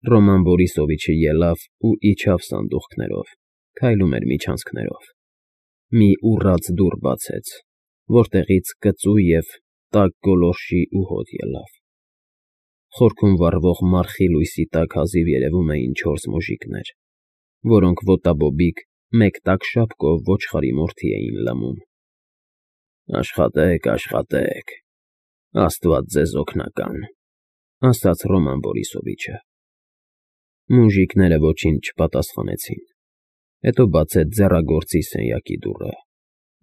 Ռոման Բորիսովիչը ելավ ու իջավ սանդուղքներով, քայլում էր միջանցքներով։ Մի ուռած դուռ բացեց, որտեղից կծու և տաք գոլորշի ու հոտ ելավ։ Խորքում վառվող մառխի լույսի տակ հազիվ երևում էին 4 մուժիկներ, որոնք ոտաբոբիկ մեկ տաք շապկով ոչխարի մորթի էին լմում։ Աշխատեք, աշխատեք, Աստված ձեզ օգնական, ասաց Ռոման Բորիսովիչը։ Մուժիկները ոչինչ չպատասխանեցին։ Հետո բացեց ձեռագործի սենյակի դուռը։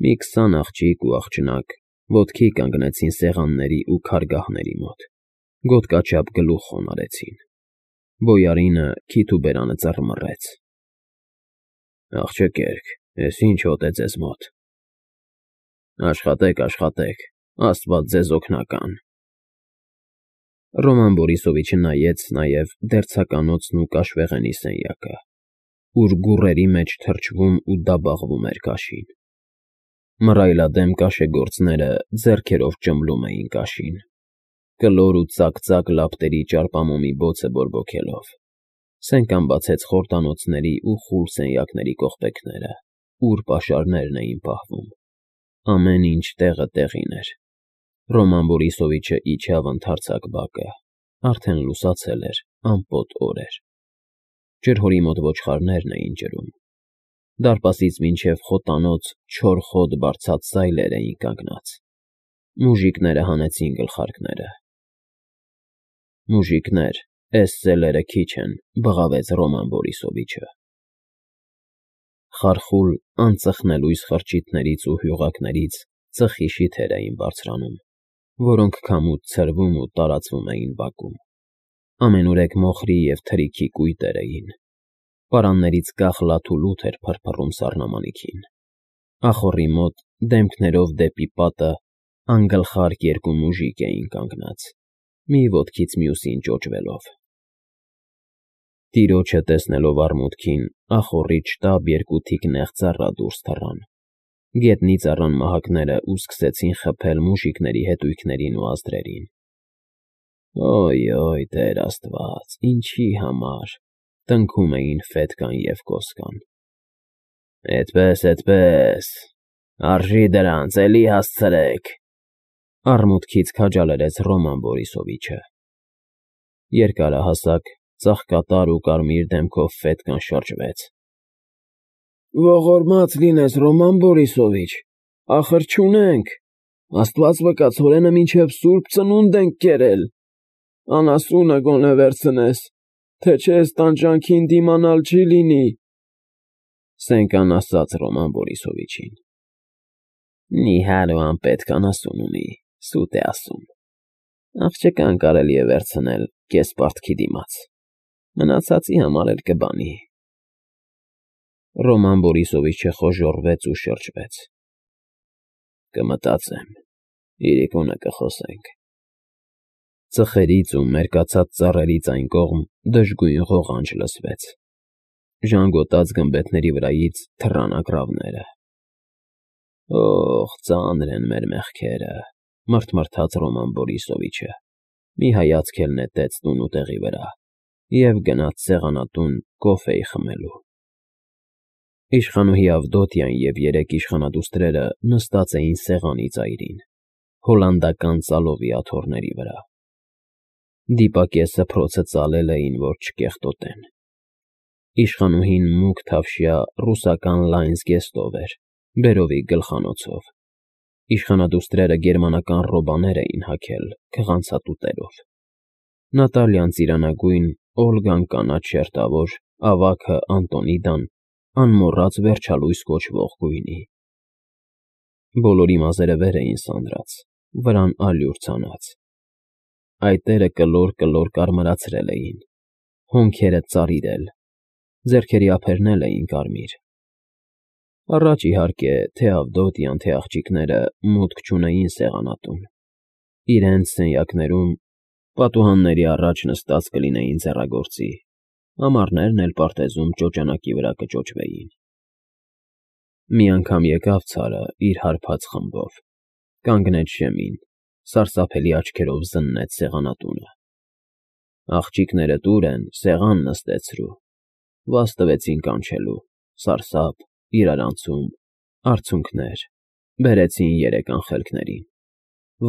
Մի 20 աղջիկ ու աղջնակ ոտքի կանգնեցին սեղանների ու քարգահների մոտ, գոտկաչափ գլուխ խոնարհեցին։ Բոյարինը քիթ ու բերանը ծռմռեց։ Աղջկերք, էս ինչ հոտ է ձեզ մոտ։ Աշխատեք, աշխատեք, Աստված ձեզ օգնական։ Ռոման Բորիսովիչը նայեց նաև դերձականոցն ու կաշվեղենի սենյակը, ուր գուռերի մեջ թրջվում ու դաբախվում էր կաշին։ Մռայլադեմ կաշեգործները ձեռքերով ճմլում էին կաշին, կլոր ու ծակ լապտերի ճարպամոմի բոցը բորբոքելով։ Սենկան բացեց խորտանոցների ու խուլ սենյակների կողպեքները, ուր պաշարներն էին պահվում։ Ամեն ինչ տեղը տեղին էր։ Ռոման Բորիսովիչը իջավ ընդարձակ բակը։ Արդեն լուսացել էր, ամպոտ օր էր։ Ջրհորի մոտ ոչխարներն էին ջրում։ Դարպասից մինչև խոտանոց չոր խոտ բարձած սայլեր էին կանգնած։ Մուժիկները հանեցին գլխարկները։ Մուժիկներ, էս սելերը քիչ են, բղավեց Ռոման Բորիսովիչը։ Խարխուլ, անծխնելույս խրճիթներից ու հյուղակներից ծխի շիթեր էին բարձրանում, որոնք քամուց ցրվում ու տարածվում էին բակում։ Ամենուրեք մոխրի և թրիքի կույտեր էին։ Պարաններից կախ լաթուլութ էր փրփռում սառնամանիքին։ Ախոռի մոտ, դեմքներով դեպի պատը, անգլխարկ 2 մուժիկ էին կանգնած, մի ոտքից մյուսին ճոճվելով։ Տիրոջը տեսնելով արմունկին, ախոռից շտապ 2 թիկ նեղ ծառա դուրս թռան։ Գետնի ծառան մահակները ու սկսեցին խփել մուժիկների հետույքներին ու ազդրերին։ Օյ, Տեր Աստված, ինչի համար, տնքում էին Ֆետկան և Կոսկան։ Էդպես, արժի դրանց, էլի հասցրեք, արմունկից քաջալերեց Ռոման Բորիսովիչը։ Երկարահասակ, ծաղկատար ու կարմիր դեմքով Ֆետկան շրջվեց։ Ողորմած լինես, Ռոման Բորիսովիչ, ախր չունենք, Աստված վկա, ցորենը մինչև Սուրբ Ծնունդ ենք կերել, անասունը գոնե վերցնես, թե չէ էս տանջանքին դիմանալ չի լինի, Սենկան ասաց Ռոման Բորիսովիչին։ Նիհար ու անպետք անասուն ունի, սուտ է ասում։ Աղջկան կարելի է վերցնել կես պարտքի դիմաց, մնացածի համար էլ կբանի։ Ռոման Բորիսովիչը խոժոռվեց ու շրջվեց։ Կմտածեմ, իրիկունը կխոսենք։ Ծխերից ու մերկացած ծառերից այն կողմ դժգույն ղողանջ լսվեց։ Ժանգոտած գմբեթների վրայից թռան ագռավները։ Օ՜խ, ծանր են մեր մեղքերը, մռթմռթաց Ռոման Բորիսովիչը, մի հայացք էլ նետեց տունուտեղի վրա և գնաց սեղանատուն կոֆեյ խմելու։ Իշխանուհի Ավդոտյան և 3 իշխանադուստրերը նստած էին սեղանի ծայրին, հոլանդական ծալովի աթոռների վրա։ Դիպակե սփռոցը ծալել էին, որ չկեղտոտեն։ Իշխանուհին մուգ թավշյա ռուսական լայն զգեստով էր, բերովի գլխանոցով։ Իշխանադուստրերը գերմանական ռոբաներ էին հագել քղանցատուտերով։ Նատալյան ծիրանագույն, Օլգան կանաչ շերտավոր, ավագը Անտոնիդան անմոռաց վերջալույս կոչվող գույնի։ Բոլորի մազերը վեր էին սանրած, վրան ալյուր ցանած։ Այտերը կլոր կարմրացրել էին, հոնքերը ծարիրել, ձեռքերի ափերն էլ էին կարմիր։ Առաջ, իհարկե, թե Ավդոտյան, թե աղջիկները մուտք չունեին սեղանատուն։ Իրենց սենյակներում, պատուհանների առաջ նստած կլինեին ձեռագործի, ամառներն էլ պարտեզում ճոճանակի վրա կճոճվեին։ Մի անգամ եկավ ցարը իր հարբած խմբով, կանգնեց շեմին, սարսափելի աչքերով զննեց սեղանատունը։ Աղջիկները տուր են, սեղան նստեցրու, վազ տվեցին կանչելու, սարսափ, իրարանցում, արցունքներ, բերեցին երեք անխելքներին,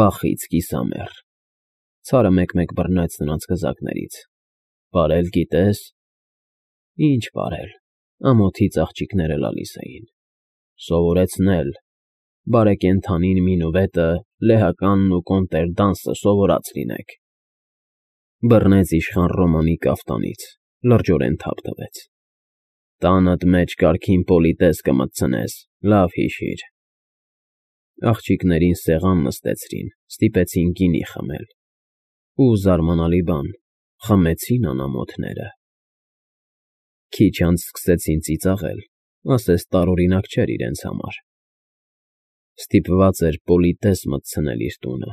վախից կիսամեռ, ցարը մեկ-մեկ բռնեց նրանց գզակներից, պարել գիտես, ինչ պարել, ամոթից աղջիկները լալիս էին, սովորեցնել, բարեկենդանին մինուվետը, լեհականն ու կոնտրդանսը սովորած լինեք, բռնեց իշխան Ռոմանի կաֆտանից, լրջորեն թափ տվեց, տանդ մեջ կարգին պոլիտես կմտցնես, լավ հիշիր, աղջիկներին սեղան նստեցրին, ստիպեցին գինի խմել, ու զարմանալի բան, խմեցին անամոթները, քիչ անց սկսեցին ծիծաղել, ասես տարօրինակ չէր իրենց համար, ստիպված էր պոլիտես մտցնել իր տունը,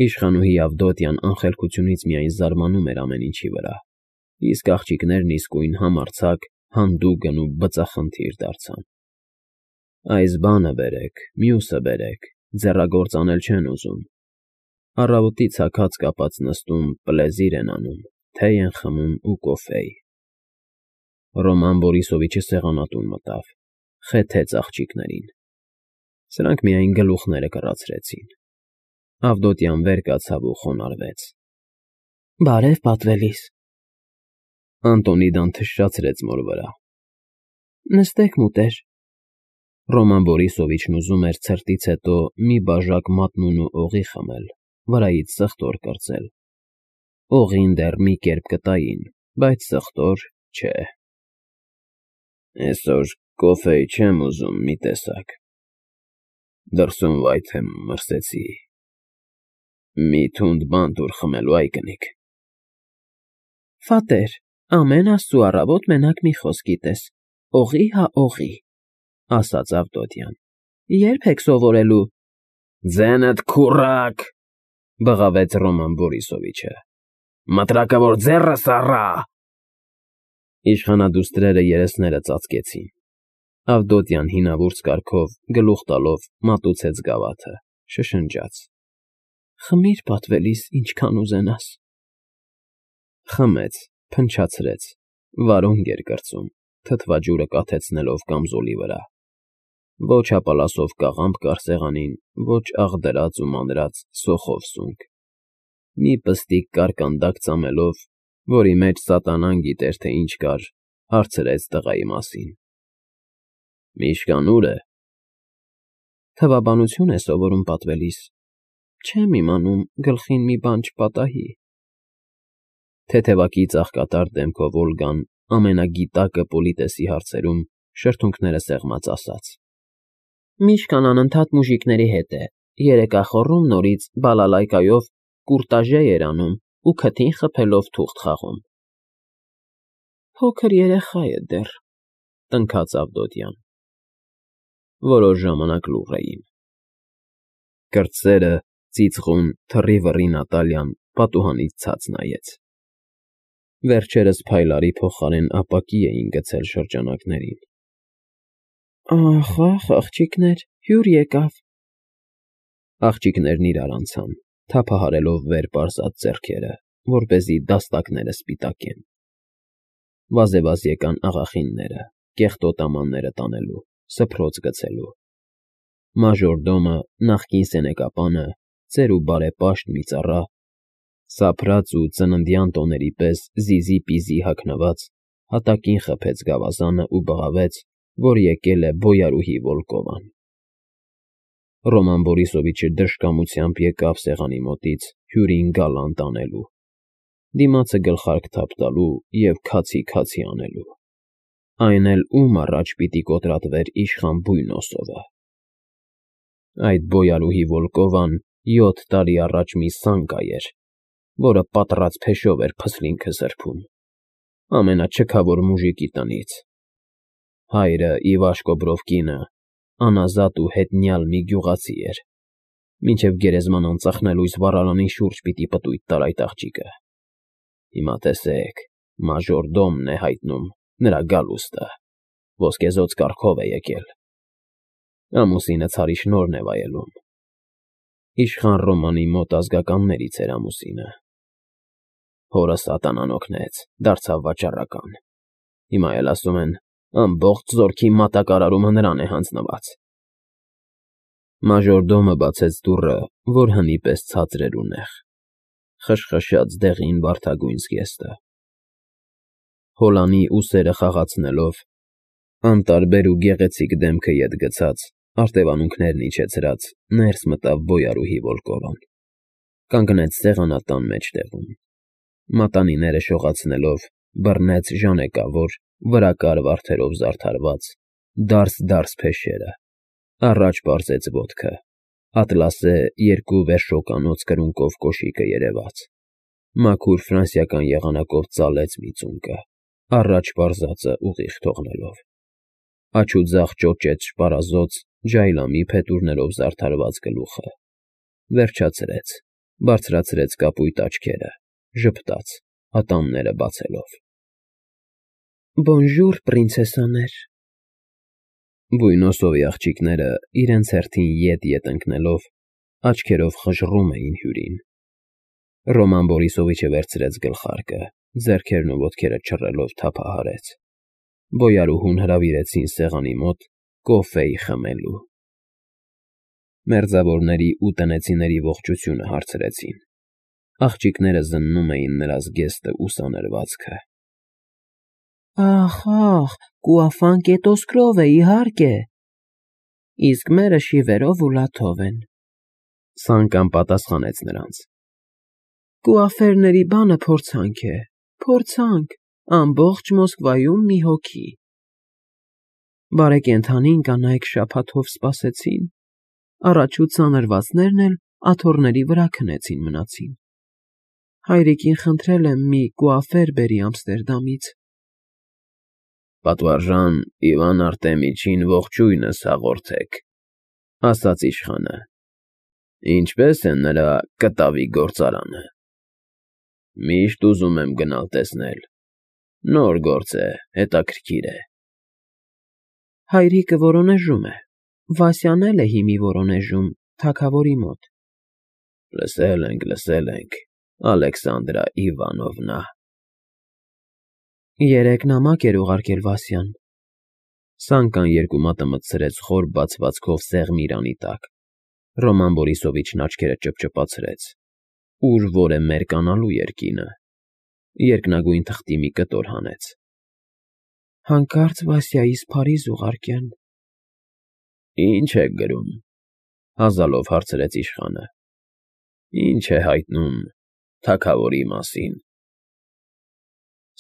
իշխանուհի Ավդոտյան անխելքությունից միայն զարմանում էր ամեն ինչի վրա, իսկ աղջիկներն իսկույն համարձակ, հանդուգն ու բծախնդիր դարձան, այս բանը բերեք, մյուսը բերեք, ձեռագործ անել չեն ուզում, առավոտից հագած կապած նստում, պլեզիր են անում, թեյ են խմում ու կոֆեյ, Ռոման Բորիսովիչը սեղանատուն մտավ, խեթեց աղջիկներին, սրանք միայն գլուխները կռացրեցին, Ավդոտյան վեր կացավ ու խոնարհվեց, բարև պատվելիս, Անտոնիդան թշշացրեց մոր վրա, նստեք մուտեր, Ռոման Բորիսովիչն ուզում էր ցրտից հետո մի բաժակ մատնուն ու օղի խմել, վրայից սխտոր կրծել, օղին դեռ մի կերպ կտային, բայց սխտոր չէ, այսօր կոֆեյ չեմ ուզում մի տեսակ, դրսում վայթե մրսեցի, մի թունդ բան տուր խմելու այ կնիկ, Ֆատեր, ամեն աստծու առավոտ մենակ մի խոսք գիտես, օղի հա օղի, ասաց Ավդոտյան, երբ եք սովորելու, ձենդ քուրակ, բղավեց Ռոման Բորիսովիչը, մտրակավոր ձեռս առա, իշխանադուստրերը երեսները ծածկեցին, Ավդոտյան հինավուրց կարգով, գլուխ տալով մատուցեց գավաթը, շշնջաց, խմիր պատվելիս ինչքան ուզենաս, խմեց, փնչացրեց, վարունգ էր կրծում, թթվաջուրը կաթեցնելով կամզոլի վրա, ոչ հապալասով կաղամբ կար սեղանին, ոչ աղդրած ու մանրած սոխով սունկ, մի պստիկ կարկանդակ ծամելով, որի մեջ սատանան գիտեր, թե ինչ կար, հարցրեց տղայի մասին, Միշկան ուր է, թվաբանություն է սովորում պատվելիս, չեմ իմանում, գլխին մի բան չպատահի, թեթևակի ծաղկատար դեմքով Օլգան ամենագիտակը պոլիտեսի հարցերում շրթունքները սեղմած ասաց. Միշկան անընդհատ մուժիկների հետ է, երեկախոռում նորից բալալայկայով կուրտաժե էր անում ու քթին խփելով թուղթ խաղում։ Փոքր երեխա է դեռ, տնքաց Ավդոտյան։ Որոշ ժամանակ լուռ էին։ Կրծերը, ծիծղուն, թռի-վռի Նատալյան պատուհանից ցած նայեց։ Վերջերս փայլարի փոխարեն ապակի էին գցել շրջանակներին։ Ախ, աղջիկներ, հյուր եկավ։ Աղջիկներն իրար անցան, թափահարելով վեր պարզած ձեռքերը, որպեսզի դաստակները սպիտակեն։ Վազեվազ եկան աղախինները, կեղտոտամանները տանելու, սփռոց գցելու։ Մաժորդոմը, նախկին սենեկապանը, ծեր ու բարեպաշտ մի ծառա, սափրած ու ծննդյան տոների պես զիզի-պիզի հագնված, հատակին խփեց գավազանը ու բղավեց, որ եկել է բոյարուհի Վոլկովան։ Ռոման Բորիսովիչը դժկամությամբ եկավ սեղանի մոտից հյուրին գալանտ անելու, դիմացը գլխարկ թափ տալու և քացի անելու, այն էլ ում առաջ պիտի կոտրատվեր իշխան Բույնոսովը։ Այդ բոյարուհի Վոլկովան 7 տարի առաջ մի սանկա էր, որը պատռած փեշով էր փսլինքը սրբում, ամենաչքավոր մուժիկի տնից։ Հայրը Իվաշկո Բրովկինը անազատ ու հետնյալ մի գյուղացի էր, մինչև գերեզման անծախնելույս վառարանին շուրջ պիտի պտույտ տար այդ աղջիկը։ Հիմա տեսեք, մաժորդոմն է հայտնում նրա գալուստը, ոսկեզօծ կառքով է եկել։ Ամուսինը ցարի շնորհն է վայելում։ Իշխան Ռոմանի մոտ ազգականներից էր ամուսինը։ Հորս ատանան օգնեց, դարձավ վաճառական։ Հիմա էլ ասում են, ամբողջ զորքի մատակարարումը նրան է հանձնված։ Մաժորդոմը բացեց դուռը, որ հնի պես ցածր էր ու նեղ, խշխշաց դեղին վարդագույն զգեստը։ Հոլանի ուսերը խաղացնելով, անտարբեր ու գեղեցիկ դեմքը ետ գցած, արտևանունքներն իջեցրած, ներս մտավ բոյարուհի Վոլկովան, կանգնեց սեղանատան մեջտեղում, մատանիները շողացնելով, բռնեց ժանեկավոր, վրա կար վարդերով զարդարված, դարս փեշերը, առաջ պարզեց ոտքը, ատլասե երկու վերշոկանոց կրունկով կոշիկը երևաց, մաքուր ֆրանսիական եղանակով ծալեց մի ծունկը, առաջ պարզածը ուղիղ թողնելով, աջ ու ձախ ճոճեց շպարազոծ, ջայլամի փետուրներով զարդարված գլուխը, վերջացրեց, բարձրացրեց կապույտ աչքերը, ժպտաց, ատամները բացելով։ Բոնժուր, պրինցեսաներ։ Բույնոսովի աղջիկները իրենց հերթին ետ ընկնելով, աչքերով խժռում էին հյուրին։ Ռոման Բորիսովիչը վերցրեց գլխարկը, ձեռքերն ու ոտքերը չռելով թափահարեց։ Բոյարուհուն հրավիրեցին սեղանի մոտ կոֆեյ խմելու։ Մերձավորների ու տնեցիների ողջությունը հարցրեցին։ Աղջիկները զննում էին նրա զգեստը ու սանրվածքը։ Ախ, կուաֆան կետոսկրով է, իհարկե։ Իսկ մերը շիվերով ու լաթով են։ Սանկան պատասխանեց նրանց։ Կուաֆերների բանը փորձանք է, փորձանք, ամբողջ Մոսկվայում մի հոգի։ Բարեկենդանին կանայք շաբաթով սպասեցին, առաջ ու ծանրվածներն էլ աթոռների վրա քնեցին մնացին։ Հայրիկին խնդրել եմ մի կուաֆեր բերի Ամստերդամից։ Պատվարժան Իվան Արտեմիչին ողջույնս հաղորդեք, ասաց իշխանը։ Ինչպես է նրա կտավի գործարանը։ Միշտ ուզում եմ գնալ տեսնել։ Նոր գործ է, հետաքրքիր է։ Հայրիկը որոնեժում է, Վասյան էլ է հիմի որոնեժում, թագավորի մոտ։ Լսել ենք, Ալեքսանդրա Իվանովնա։ Երեկ նամակ էր ուղարկել Վասյան։ Սանկան երկու մատը մտցրեց խոր բացվածքով սեղմ իրանի տակ։ Ռոման Բորիսովիչն աչքերը ճպճպացրեց։ Ուր որ է մերկանալու երկինը։ Երկնագույն թղթի մի կտոր հանեց։ Հանկարծ Վասյայիս Փարիզ ուղարկեն։ Ինչ եք գրում, հազալով հարցրեց իշխանը։ Ինչ է հայտնում թագավորի մասին։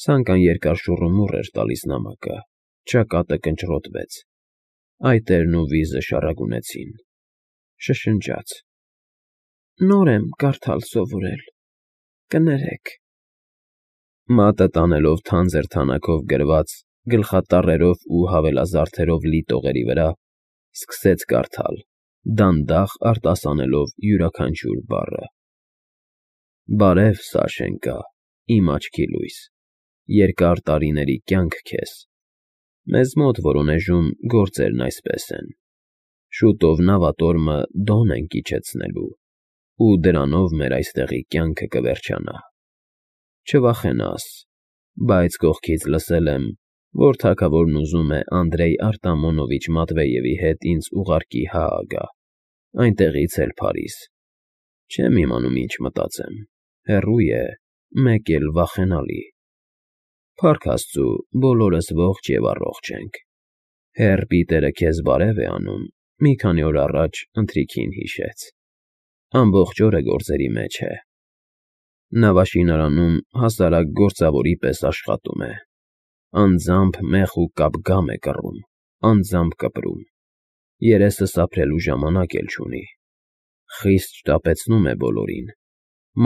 Սանկան երկար շուռումուռ էր տալիս նամակը, ճակատը կնճռոտվեց, այտերն ու վիզը շառագունեցին, շշնջաց. Նոր եմ կարդալ սովորել, կներեք։ Մատը տանելով թանձր թանակով գրված, գլխատառերով ու հավելազարդերով լի տողերի վրա, սկսեց կարդալ, դանդաղ արտասանելով յուրաքանչյուր բառը։ Բարև, Սաշենկա, իմ աչքի լույս, երկար տարիների կյանք քեզ։ Մեզ մոտ որոնեժում գործերն այսպես են. շուտով նավատորմը դոն ենք իջեցնելու, ու դրանով մեր այստեղի կյանքը կվերջանա։ Չվախենաս, բայց կողքից լսել եմ, որ թագավորն ուզում է Անդրեյ Արտամոնովիչ Մատվեևի հետ ինձ ուղարկի Հաագա, այնտեղից էլ Փարիզ։ Չեմ իմանում ինչ մտածեմ, հեռու է, մեկ էլ վախենալի։ Փառք Աստծու, բոլորս ողջ և առողջ ենք։ Հեռ Պիտերը քեզ բարև է անում, մի քանի օր առաջ ընթրիքին հիշեց։ Ամբողջ օրը գործերի մեջ է։ Նավաշինարանում հասարակ գործավորի պես աշխատում է։ Անձամբ մեխ ու կապգամ է կռում, անձամբ կպրում։ Երեսը սափրելու ժամանակ էլ չունի։ Խիստ շտապեցնում է բոլորին։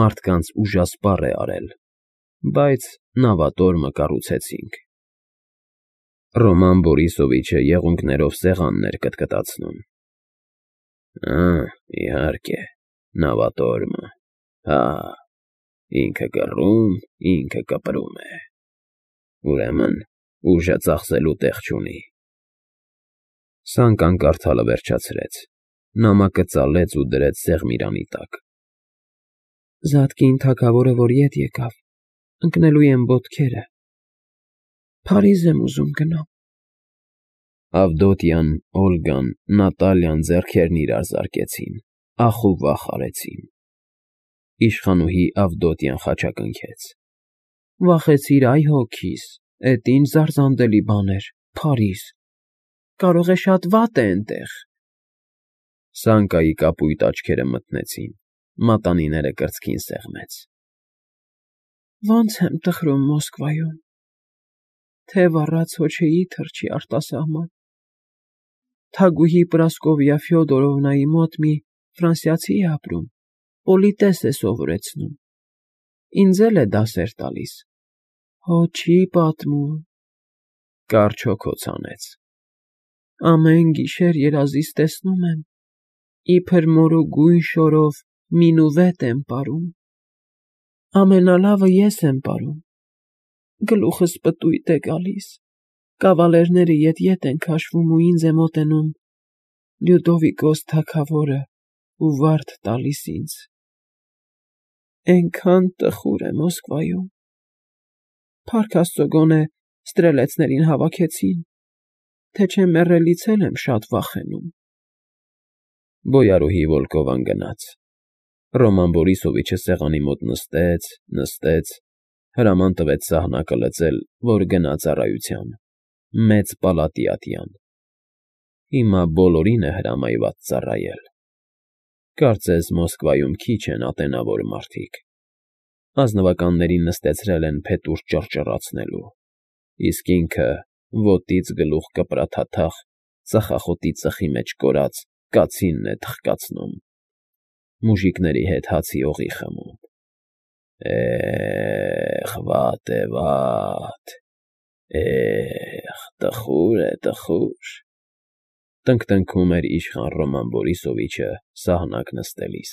Մարդկանց ուժասպառ է արել, բայց նավատորմը կառուցեցինք։ Ռոման Բորիսովիչը եղունգներով սեղանն էր կտկտացնում։ Իհարկե, նավատորմը, հա, ինքը կռում, ինքը կպրում է։ Ուրեմն ուժը ծախսելու տեղ չունի։ Սանկան կարդալը վերջացրեց, նամակը ծալեց ու դրեց սեղմիրանի տակ։ Զատկին թագավորը որ ետ եկավ, ընկնելու եմ ոտքերը։ Փարիզ եմ ուզում գնամ։ Ավդոտյան, Օլգան, Նատալյան ձեռքերն իրար զարկեցին, ախ ու վախ արեցին։ Իշխանուհի Ավդոտյան խաչակնքեց. Վախեցիր, այ հոգիս, էդ ինչ զարզանդելի բան էր, Փարիզ։ Կարող է շատ վատ է էնտեղ։ Սանկայի կապույտ աչքերը մթնեցին, մատանիները կրծքին սեղմեց։ Ոնց եմ տխրում Մոսկվայում։ Թև առած հոչեի թռչի արտասահման։ Թագուհի Պրասկովիա Ֆյոդորովնայի մոտ մի ֆրանսիացի է ապրում, պոլիտես է սովորեցնում։ Ինձ էլ է դասեր տալիս։ Հո չի պատմում։ Կարճ հոգոց հանեց։ Ամեն գիշեր երազիս տեսնում եմ, իբր մորուգույն շորով մինուվետ եմ պարում։ Ամենալավը ես եմ պարում։ Գլուխս պտույտ է գալիս։ Կավալերները ետ են քաշվում ու ինձ է մոտենում Լյուդովիկոս թագավորը ու վարդ տալիս ինձ։ Էնքան տխուր է Մոսկվայում։ Փառք Աստծո գոնե ստրելեցներին հավաքեցին, թե չէ մեռելից էլ եմ շատ վախենում։ Բոյարուհի Վոլկովան գնաց։ Ռոման Բորիսովիչը սեղանի մոտ նստեց, հրաման տվեց սահնակը լցել, որ գնա ծառայության, մեծ պալատի ատյան։ Հիմա բոլորին է հրամայված ծառայել։ Կարծես Մոսկվայում քիչ են ատենավոր մարդիկ։ Ազնվականներին նստեցրել են փետուր ճռճռացնելու, իսկ ինքը ոտից գլուխ կպրաթաթախ ծխախոտի ծխի մեջ կորած կացինն է թխկացնում, մուժիկների հետ հացի օղի խմում։ Վատ է, վատ, տխուր է, տխուր, տնկտնքում էր իշխան Ռոման Բորիսովիչը սահնակ նստելիս։